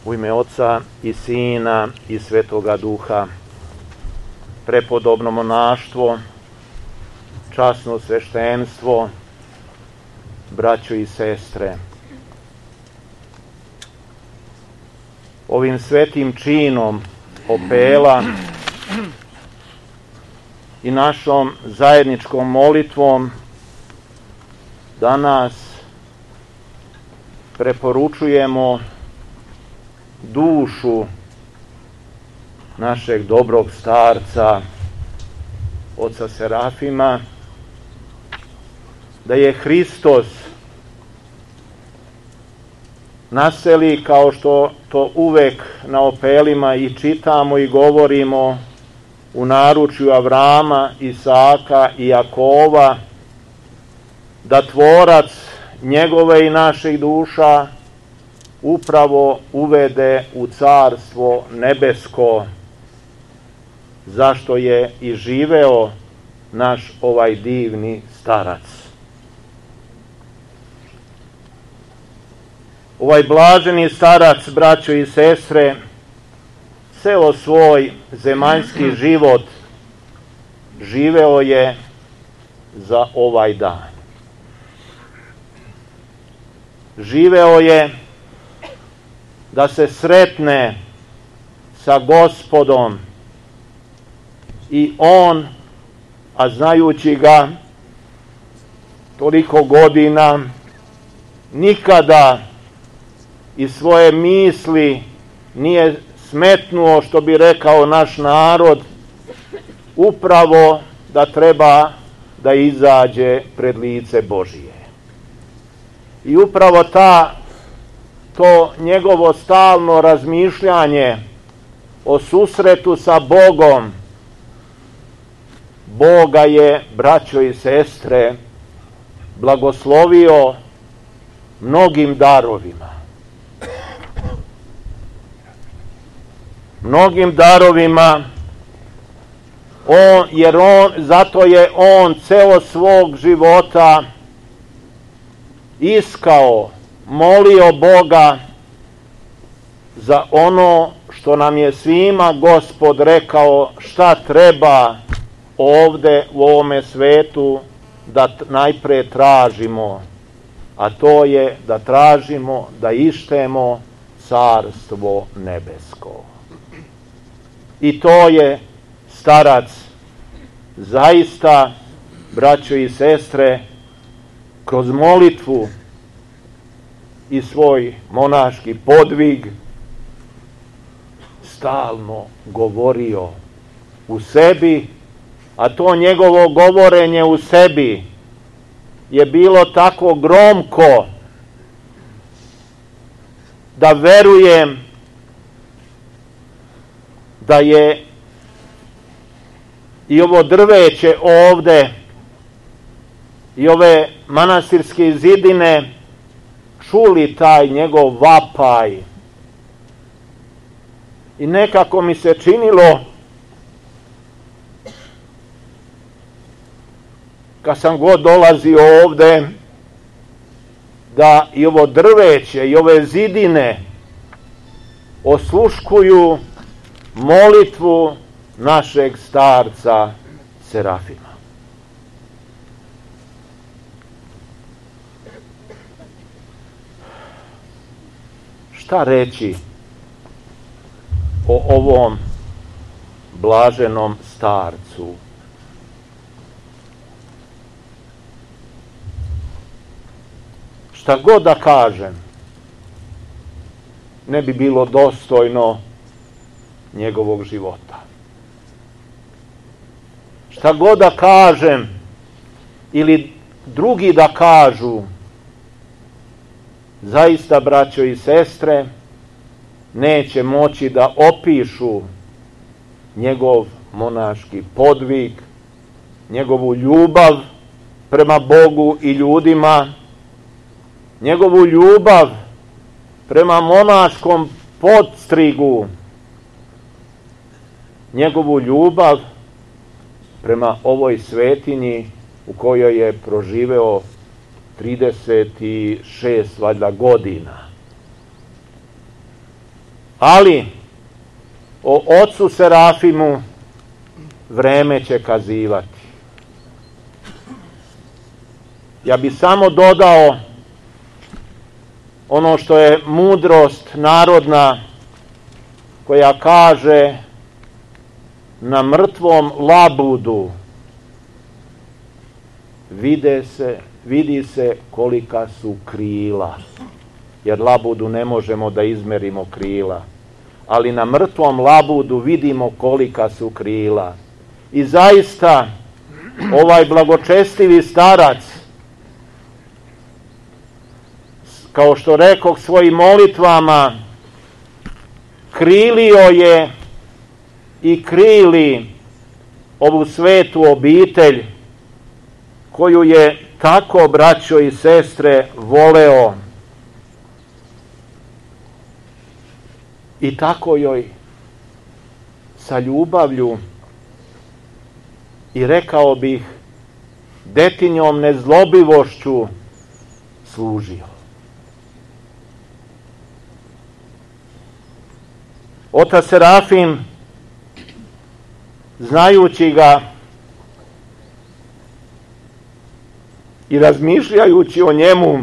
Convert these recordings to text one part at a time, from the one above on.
U ime Oca i Sina i Svetoga Duha, prepodobno monaštvo, časno sveštenstvo, braćo i sestre. Ovim svetim činom opela i našom zajedničkom molitvom danas preporučujemo dušu našeg dobrog starca, oca Serafima, da je Hristos naseli, kao što to uvek na opelima i čitamo i govorimo, u naručju Avrama, Isaka i Jakova, da tvorac njegove i naših duša upravo uvede u carstvo nebesko, zašto je i živeo naš ovaj divni starac. Ovaj blaženi starac, braćo i sestre, ceo svoj zemaljski život živeo je za ovaj dan. Živeo je da se sretne sa Gospodom i on, a znajući ga toliko godina, nikada iz svoje misli nije smetnuo, što bi rekao naš narod, upravo da treba da izađe pred lice Božije. I upravo to njegovo stalno razmišljanje o susretu sa Bogom, Boga je, braćo i sestre, blagoslovio mnogim darovima. Mnogim darovima, zato je on ceo svog života iskao, molio Boga za ono što nam je svima Gospod rekao šta treba ovde u ovome svetu da najpre tražimo, a to je da tražimo, da ištemo carstvo nebesko. I to je starac zaista, braćo i sestre, kroz molitvu i svoj monaški podvig stalno govorio u sebi, a to njegovo govorenje u sebi je bilo tako gromko da verujem da je i ovo drveće ovde i ove manastirske zidine čuli taj njegov vapaj. I nekako mi se činilo, kad sam god dolazio ovde, da i ovo drveće i ove zidine osluškuju molitvu našeg starca Serafima. Šta reći o ovom blaženom starcu? Šta god da kažem, ne bi bilo dostojno njegovog života. Šta god da kažem ili drugi da kažu, zaista, braćo i sestre, neće moći da opišu njegov monaški podvig, njegovu ljubav prema Bogu i ljudima, njegovu ljubav prema monaškom podstrigu, njegovu ljubav prema ovoj svetinji u kojoj je proživeo 36 valjda godina. Ali o ocu Serafimu vreme će kazivati. Ja bih samo dodao ono što je mudrost narodna koja kaže: na mrtvom labudu vidi se kolika su krila, jer labudu ne možemo da izmerimo krila, ali na mrtvom labudu vidimo kolika su krila. I zaista ovaj blagočestivi starac, kao što rekoh, svojim molitvama krilio je i krili ovu svetu obitelj koju je tako, braćo i sestre, voleo i tako joj sa ljubavlju i, rekao bih, detinjom nezlobivošću služio. Otac Serafim, znajući ga i razmišljajući o njemu,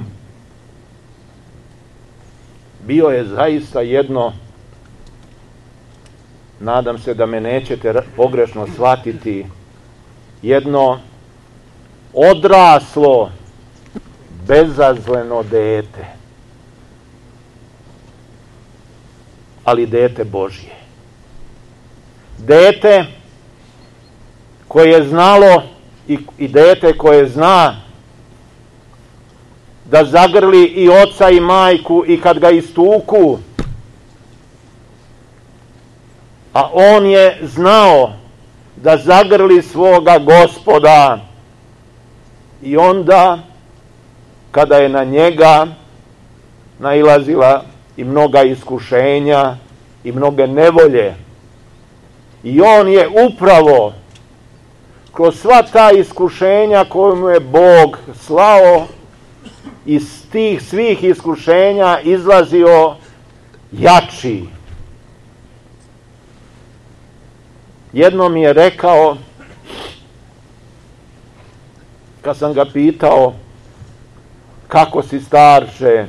bio je zaista jedno, nadam se da me nećete pogrešno shvatiti, jedno odraslo, bezazleno dete, ali dete Božje. Dete koje je znalo i dete koje zna da zagrli i oca i majku i kad ga istuku, a on je znao da zagrli svoga Gospoda i onda kada je na njega nailazila i mnoga iskušenja i mnoge nevolje, i on je upravo kroz sva ta iskušenja koju mu je Bog slao, iz tih svih iskušenja izlazio jači. Jednom mi je rekao, kad sam ga pitao: kako si, starče?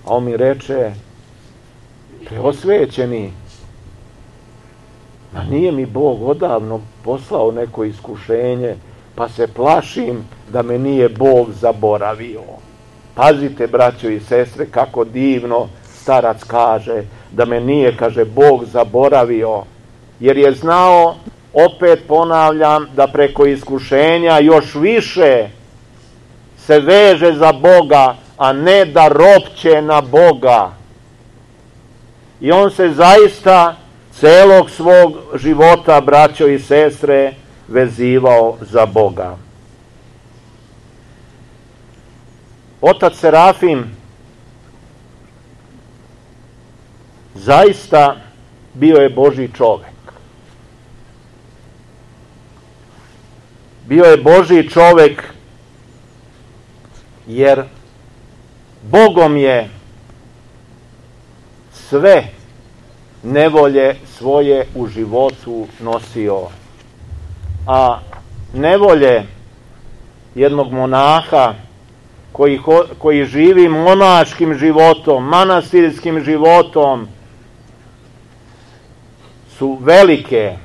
A on mi reče: preosvećeni, ma nije mi Bog odavno poslao neko iskušenje, pa se plašim da me nije Bog zaboravio. Pazite, braćo i sestre, kako divno starac kaže da me nije, kaže, Bog zaboravio, jer je znao, opet ponavljam, da preko iskušenja još više se veže za Boga, a ne da ropće na Boga. I on se zaista celog svog života, braćo i sestre, vezivao za Boga. Otac Serafim zaista bio je Božji čovek. Bio je Božji čovek jer Bogom je sve nevolje svoje u životu nosio. A nevolje jednog monaha koji živi monaškim životom, manastirskim životom, su velike.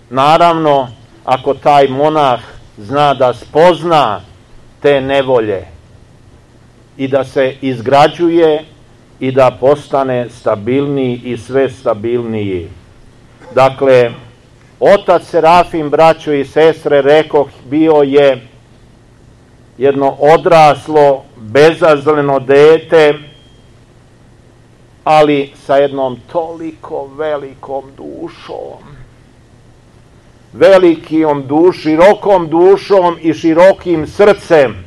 Naravno, ako taj monah zna da spozna te nevolje i da se izgrađuje i da postane stabilniji i sve stabilniji. Dakle, otac Serafim, braćo i sestre, rekoh, bio je jedno odraslo, bezazleno dete, ali sa jednom toliko velikom dušom. Širokom dušom i širokim srcem.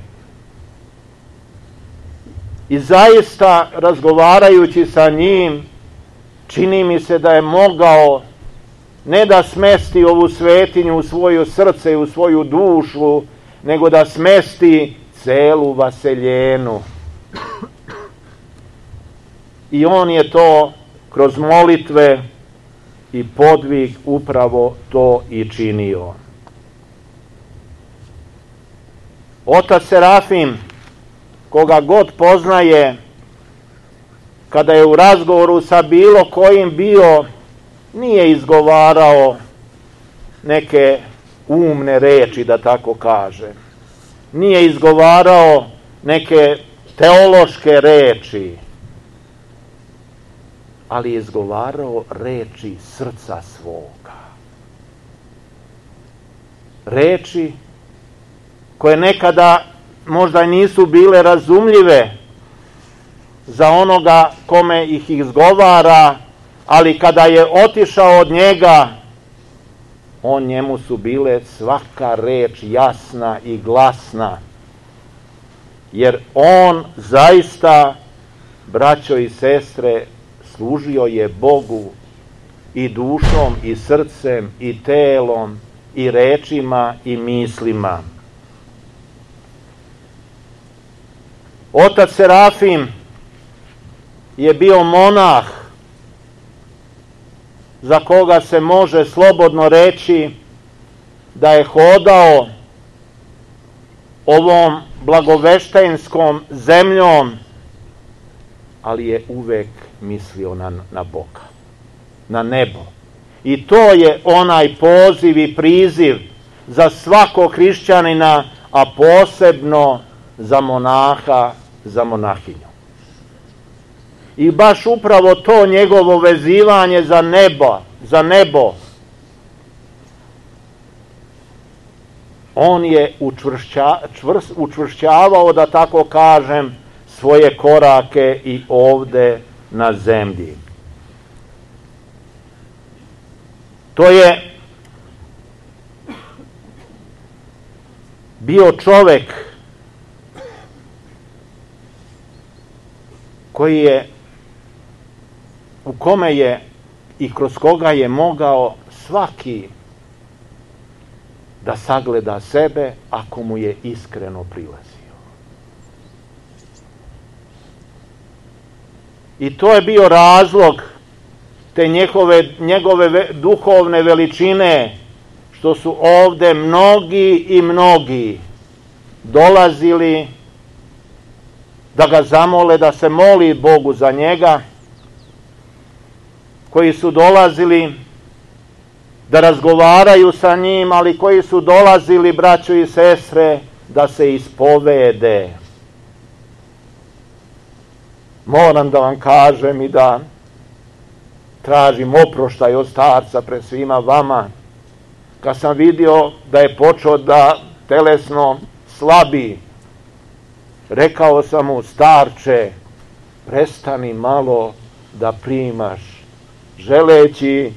I zaista, razgovarajući sa njim, čini mi se da je mogao ne da smesti ovu svetinju u svoje srce i u svoju dušu, nego da smesti celu vaseljenu. I on je to kroz molitve i podvig upravo to i činio. Otac Serafim, koga god poznaje, kada je u razgovoru sa bilo kojim bio, nije izgovarao neke umne reči, da tako kaže. Nije izgovarao neke teološke reči, ali je izgovarao reči srca svoga. Reči koje nekada možda nisu bile razumljive za onoga kome ih izgovara, ali kada je otišao od njega, njemu su bile svaka reč jasna i glasna, jer on zaista, braćo i sestre, služio je Bogu i dušom i srcem i telom i rečima i mislima. Otac Serafim je bio monah za koga se može slobodno reći da je hodao ovom blagoveštenskom zemljom, ali je uvek mislio na Boga, na nebo. I to je onaj poziv i priziv za svakog hrišćanina, a posebno za monaha, za monahinju. I baš upravo to njegovo vezivanje za nebo, on je učvršćavao, da tako kažem, svoje korake i ovde na zemlji. To je bio čovek u kome je i kroz koga je mogao svaki da sagleda sebe ako mu je iskreno prilazio. I to je bio razlog te njegove duhovne veličine, što su ovde mnogi i mnogi dolazili da ga zamole, da se moli Bogu za njega, koji su dolazili da razgovaraju sa njim, ali koji su dolazili, braćo i sestre, da se ispovede. Moram da vam kažem i da tražim oproštaj od starca pred svima vama, kad sam vidio da je počeo da telesno slabi, rekao sam mu: starče, prestani malo da primaš, želeći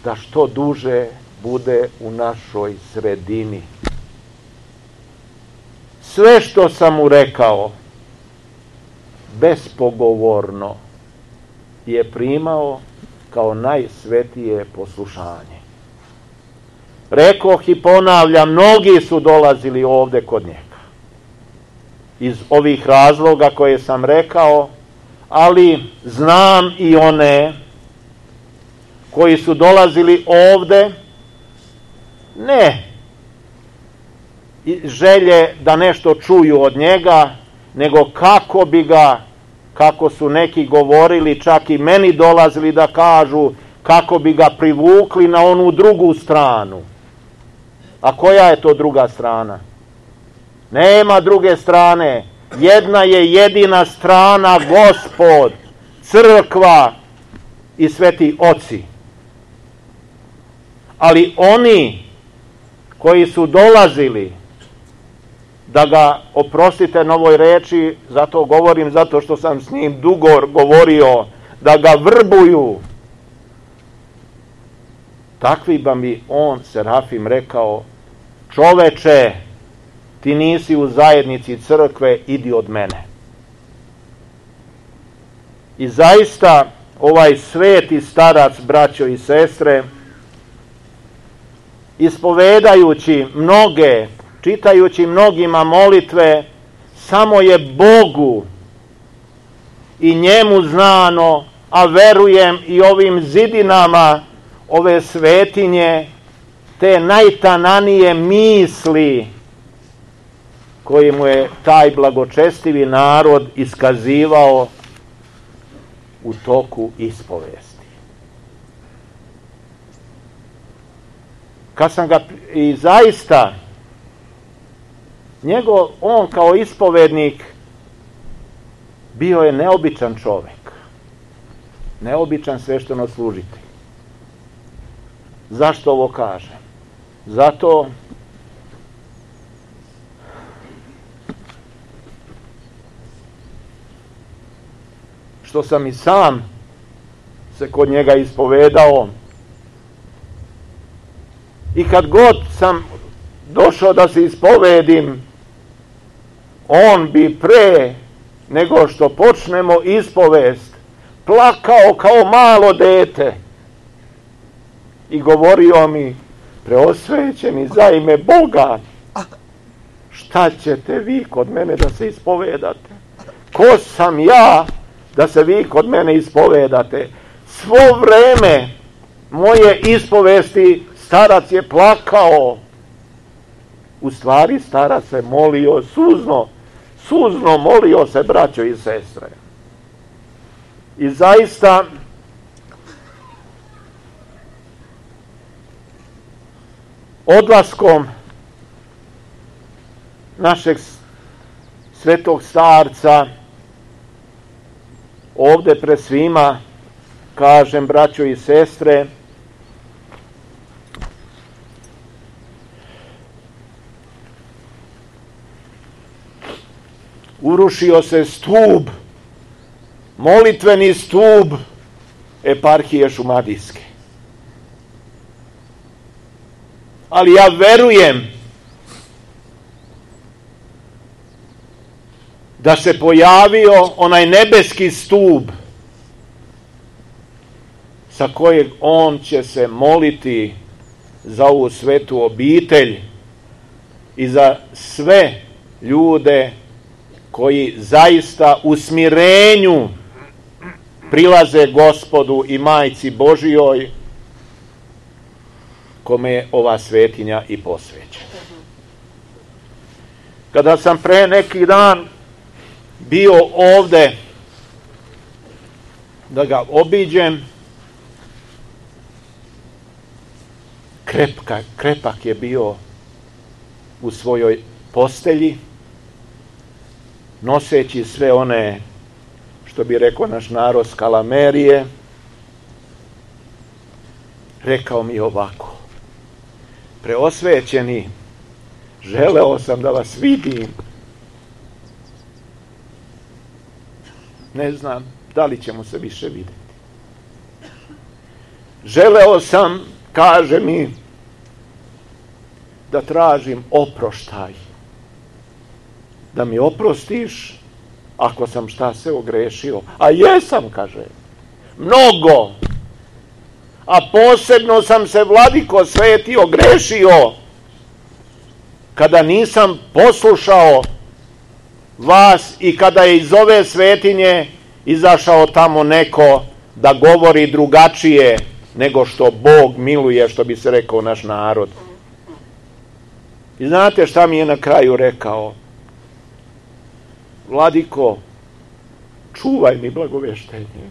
da što duže bude u našoj sredini. Sve što sam mu rekao, bespogovorno je primao kao najsvetije poslušanje. Rekoh i ponavljam, mnogi su dolazili ovde kod njega iz ovih razloga koje sam rekao, ali znam i one koji su dolazili ovde ne želje da nešto čuju od njega, nego kako bi ga, kako su neki govorili, čak i meni dolazili da kažu, kako bi ga privukli na onu drugu stranu. A koja je to druga strana? Nema druge strane. Jedna je jedina strana, Gospod, crkva i sveti oci. Ali oni koji su dolazili da ga, oprostite na ovoj reči, zato govorim, zato što sam s njim dugo govorio, da ga vrbuju, takvi ba mi on, Serafim, rekao: čoveče, ti nisi u zajednici crkve, idi od mene. I zaista ovaj sveti starac, braćo i sestre, ispovedajući mnoge, čitajući mnogima molitve, samo je Bogu i njemu znano, a verujem i ovim zidinama ove svetinje, te najtananije misli koje mu je taj blagočestivi narod iskazivao u toku ispovesti. Kad sam ga i zaista on kao ispovednik bio je neobičan čovek, neobičan sveštenoslужitelj. Zašto ovo kažem? Zato što sam i sam se kod njega ispovedao i kad god sam došao da se ispovedim, on bi pre nego što počnemo ispovest plakao kao malo dete i govorio mi: preosvećeni za ime Boga, šta ćete vi kod mene da se ispovedate? Ko sam ja da se vi kod mene ispovedate? Svo vreme moje ispovesti starac je plakao. U stvari starac se molio suzno molio se, braćo i sestre. I zaista odlaskom našeg svetog starca ovde pred svima kažem, braćo i sestre, urušio se stub, molitveni stub eparhije Šumadijske. Ali ja verujem da se pojavio onaj nebeski stub sa kojeg on će se moliti za ovu svetu obitelj i za sve ljude koji zaista u smirenju prilaze Gospodu i Majci Božijoj, kome je ova svetinja i posvećena. Kada sam pre neki dan bio ovde da ga obiđem, krepak je bio u svojoj postelji, noseći sve one, što bi rekao naš narod, skalamerije. Rekao mi ovako: preosvećeni, želeo sam da vas vidim. Ne znam da li ćemo se više vidjeti. Želeo sam, kaže mi, da tražim oproštaj. Da mi oprostiš ako sam šta se ogrešio. A jesam, kaže, mnogo. A posebno sam se, Vladiko sveti, ogrešio kada nisam poslušao vas i kada je iz ove svetinje izašao tamo neko da govori drugačije nego što Bog miluje, što bi se rekao naš narod. I znate šta mi je na kraju rekao? Vladiko, čuvaj mi blagoveštenje.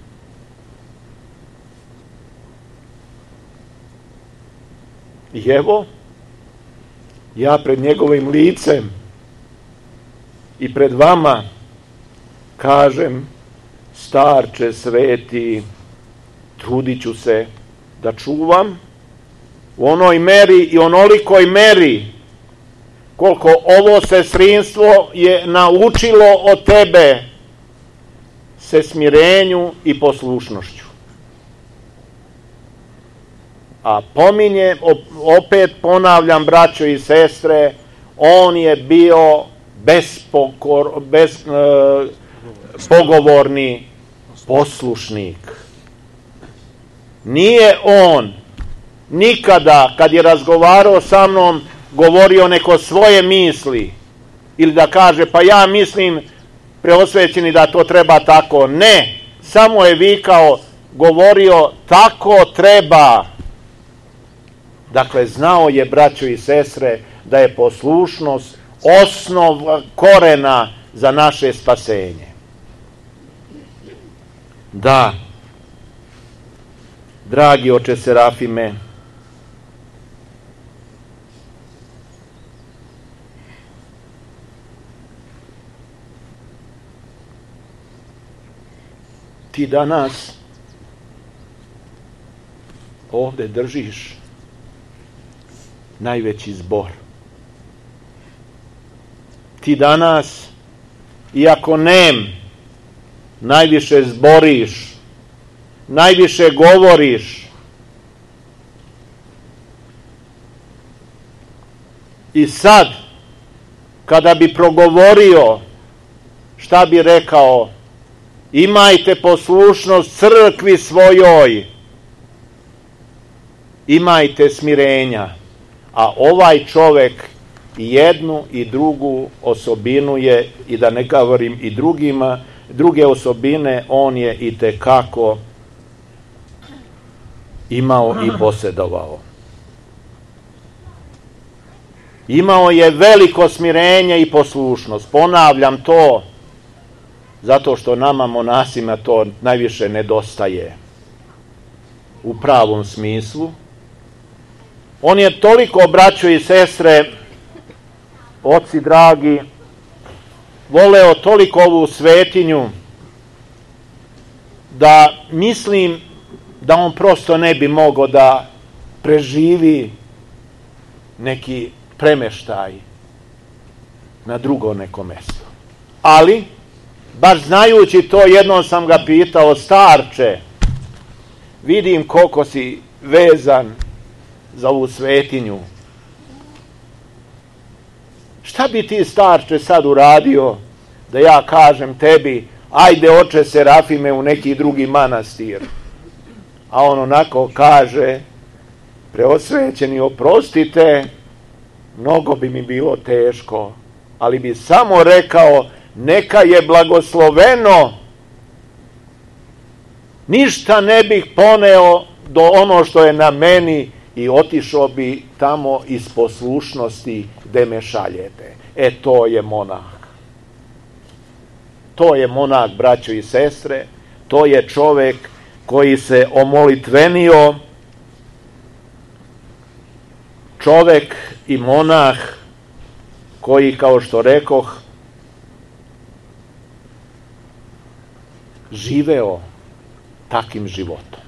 I evo, ja pred njegovim licem i pred vama kažem: starče sveti, trudit ću se da čuvam u onoj meri i onolikoj meri koliko ovo sestrinstvo je naučilo od tebe se smirenju i poslušnošću. A pominjem, opet ponavljam, braćo i sestre, on je bio bespogovorni poslušnik. Nije on nikada kad je razgovarao sa mnom govorio neko svoje misli ili da kaže pa ja mislim preosvećeni da to treba tako. Ne, samo je vikao, govorio tako treba. Dakle, znao je, braćo i sestre, da je poslušnost osnov korena za naše spasenje. Da, dragi oče Serafime, ti danas ovde držiš najveći zbor. Ti danas, iako najviše zboriš, najviše govoriš. I sad, kada bi progovorio, šta bi rekao? Imajte poslušnost crkvi svojoj, imajte smirenja. A ovaj čovek i jednu i drugu osobinu je, i da ne govorim i druge osobine, on je itekako imao i posedovao. Imao je veliko smirenje i poslušnost. Ponavljam to, zato što nama monasima to najviše nedostaje u pravom smislu. On je toliko, braćo i sestre, oci dragi, voleo toliko ovu svetinju, da mislim da on prosto ne bi mogao da preživi neki premeštaj na drugo neko mesto. Ali, baš znajući to, jednom sam ga pitao, starče, vidim koliko si vezan za ovu svetinju. Šta bi ti, starče, sad uradio da ja kažem tebi, ajde oče Serafime u neki drugi manastir? A on onako kaže, preosvećeni, oprostite, mnogo bi mi bilo teško, ali bi samo rekao, neka je blagosloveno, ništa ne bih poneo do ono što je na meni i otišao bi tamo iz poslušnosti gde me šaljete. To je monah. To je monah, braćo i sestre, to je čovek koji se omolitvenio, čovek i monah koji, kao što rekoh, živeo takim životom.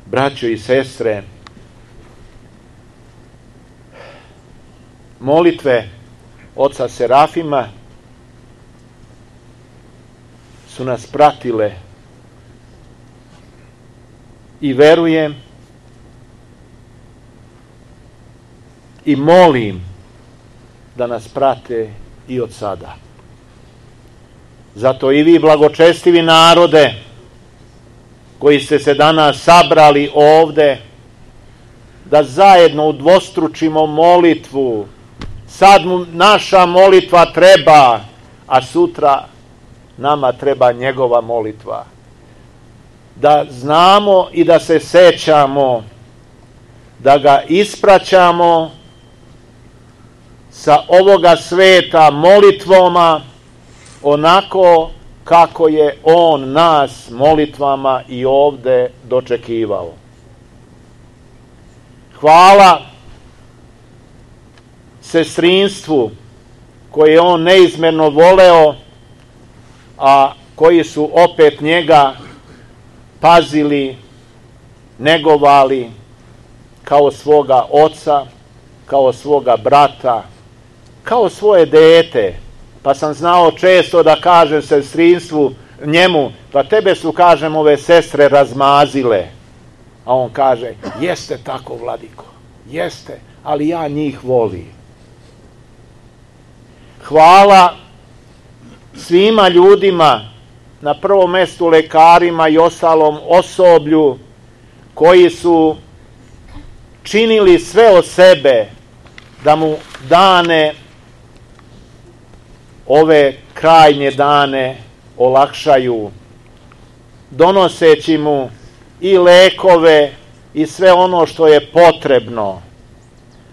Braćo i sestre, molitve oca Serafima su nas pratile i verujem i molim da nas prate i od sada. Zato i vi, blagočestivi narode, koji ste se danas sabrali ovde, da zajedno udvostručimo molitvu. Sad naša molitva treba, a sutra nama treba njegova molitva. Da znamo i da se sećamo, da ga ispraćamo sa ovoga sveta molitvama, onako kako je on nas molitvama i ovde dočekivao. Hvala sestrinstvu koje je on neizmerno voleo, a koji su opet njega pazili, negovali kao svoga oca, kao svoga brata, kao svoje dete. Pa sam znao često da kažem sestrinstvu njemu, pa tebe su, kažem, ove sestre razmazile. A on kaže, jeste tako, vladiko, jeste, ali ja njih volim. Hvala svima ljudima na prvom mestu lekarima i ostalom osoblju koji su činili sve od sebe da mu dane, ove krajnje dane, olakšaju, donoseći mu i lekove i sve ono što je potrebno.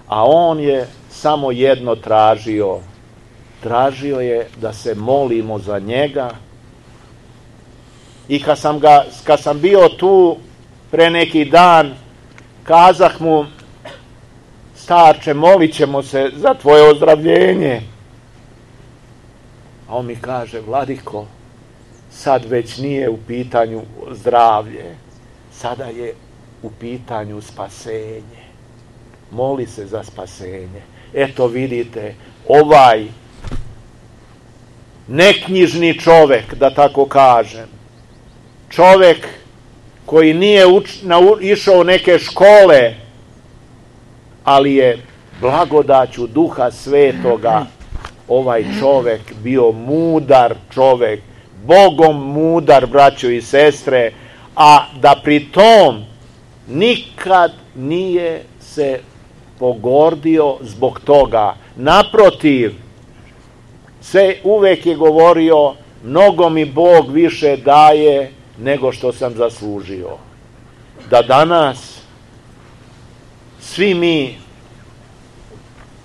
A on je samo jedno tražio. Tražio je da se molimo za njega. I kad sam bio tu pre neki dan, kazah mu: starče, molit ćemo se za tvoje ozdravljenje. A on mi kaže: vladiko, sad već nije u pitanju zdravlje, sada je u pitanju spasenje. Moli se za spasenje. Eto vidite, ovaj neknjižni čovek, da tako kažem, čovek koji nije išao u neke škole, ali je blagodaću Duha Svetoga ovaj čovek bio mudar čovek, Bogom mudar, braćo i sestre, a da pri tom nikad nije se pogordio zbog toga. Naprotiv, sve uvek je govorio: mnogo mi Bog više daje nego što sam zaslužio. Da danas svi mi,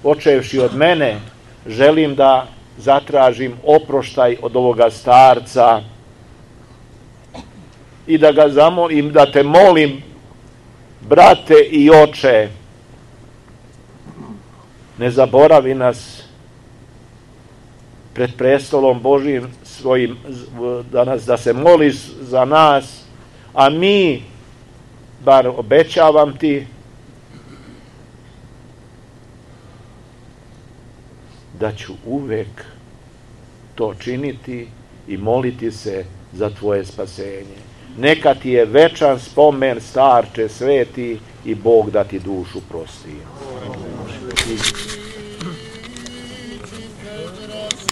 počevši od mene, želim da zatražim oproštaj od ovoga starca i da ga zamolim, da te molim, brate i oče, ne zaboravi nas pred prestolom Božijim svojim danas, da se moliš za nas, a mi, bar obećavam ti, da ću uvek to činiti i moliti se za tvoje spasenje. Neka ti je večan spomen, starče sveti, i Bog da ti dušu prosti.